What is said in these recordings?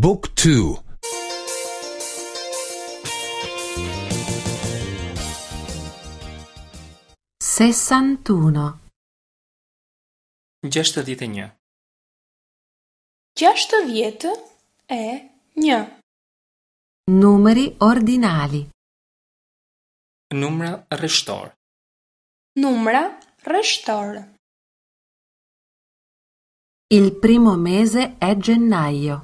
บุ๊กทู 61. 61. 61. Numeri ordinali. Numra rreshtor. Numra rreshtor. Il primo mese è gennaio.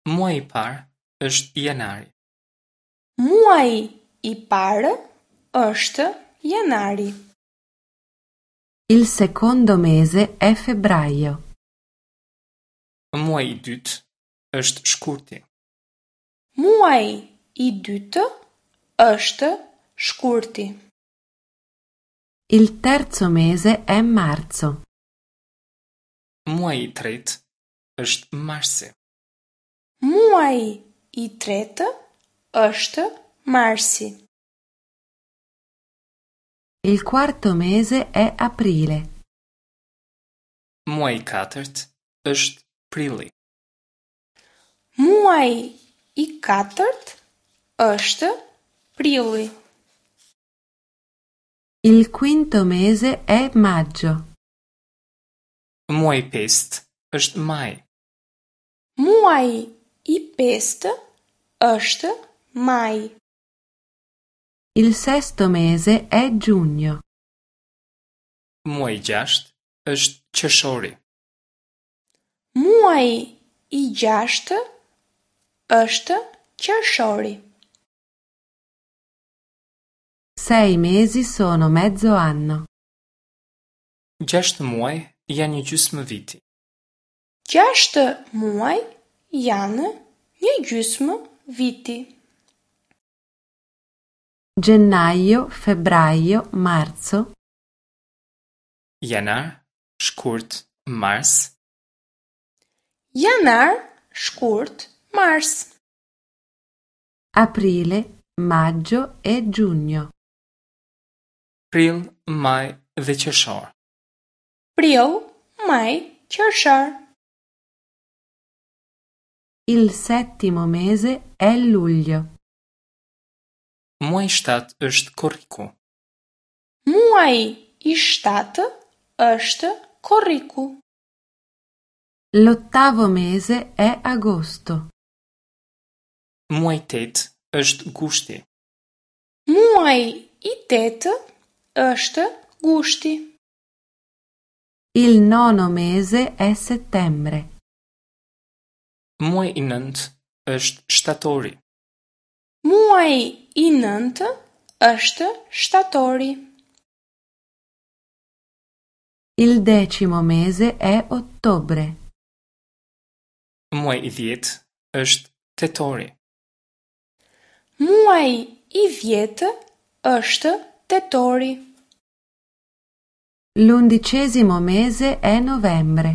Muaji i parë është janari. Muaji i parë është janari. Il secondo mese è febbraio. Muaji i dytë është shkurti. Muaji i dytë është shkurti. Il terzo mese è marzo. Muaji i tretë është marsi. Muaji i tretë është marsi. Il quarto mese è aprile. Muaji i katërt është prilli. Muaji i katërt është prilli. Il quinto mese è maggio. Muaji i pestë është maji. Muaji i pestë është maji. Il sesto mese è giugno. Muaji i gjashtë është qershori. Muaji i gjashtë është qershori. Sei mesi sono mezzo anno. Gjashtë muaj janë një gjysmë viti. Gjashtë muaj janë një gjysmë viti. Gennaio, febbraio, marzo, Janar, shkurt, mars, Janar, shkurt, mars. aprile, maggio e giugno. prill, maj dhe qershor. Prill, maj, qershor. Il settimo mese è luglio. Muaji i shtatë është korriku. Muaji i shtatë është korriku. L'ottavo mese è agosto. Muaji i tetë është gushti. Muaji i tetë është gushti. Il nono mese è settembre. Muaji i nëntë është shtatori. Muaji i nëntë është shtatori. Il decimo mese è ottobre. Muaji i dhjetë është tetori. Muaji i dhjetë është tetori. L'undicesimo mese è novembre.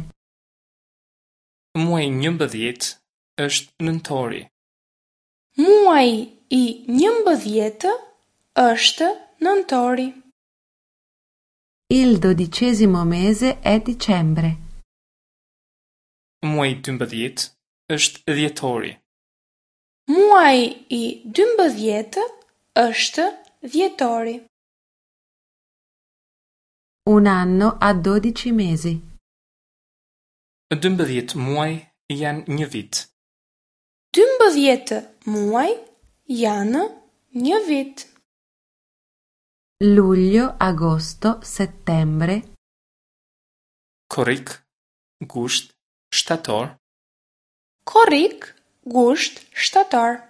Muaji i 11 është nëntori. Muaji i 11 është nëntori. Il dodicesimo mese è dicembre. Muaji i 12 është dhjetori. Muaji i 12 është dhjetori. Un anno ha 12 mesi. 12 muaj janë një vit. 12 muaj janë një vit. Luglio, agosto, settembre, Korrik, gusht, shtator, Korrik, gusht, shtator.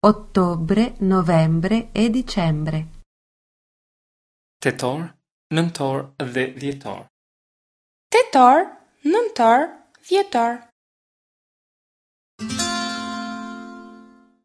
ottobre, novembre e dicembre. tetor, nëntor dhe dhjetor. Tetor, nëntor, dhjetor.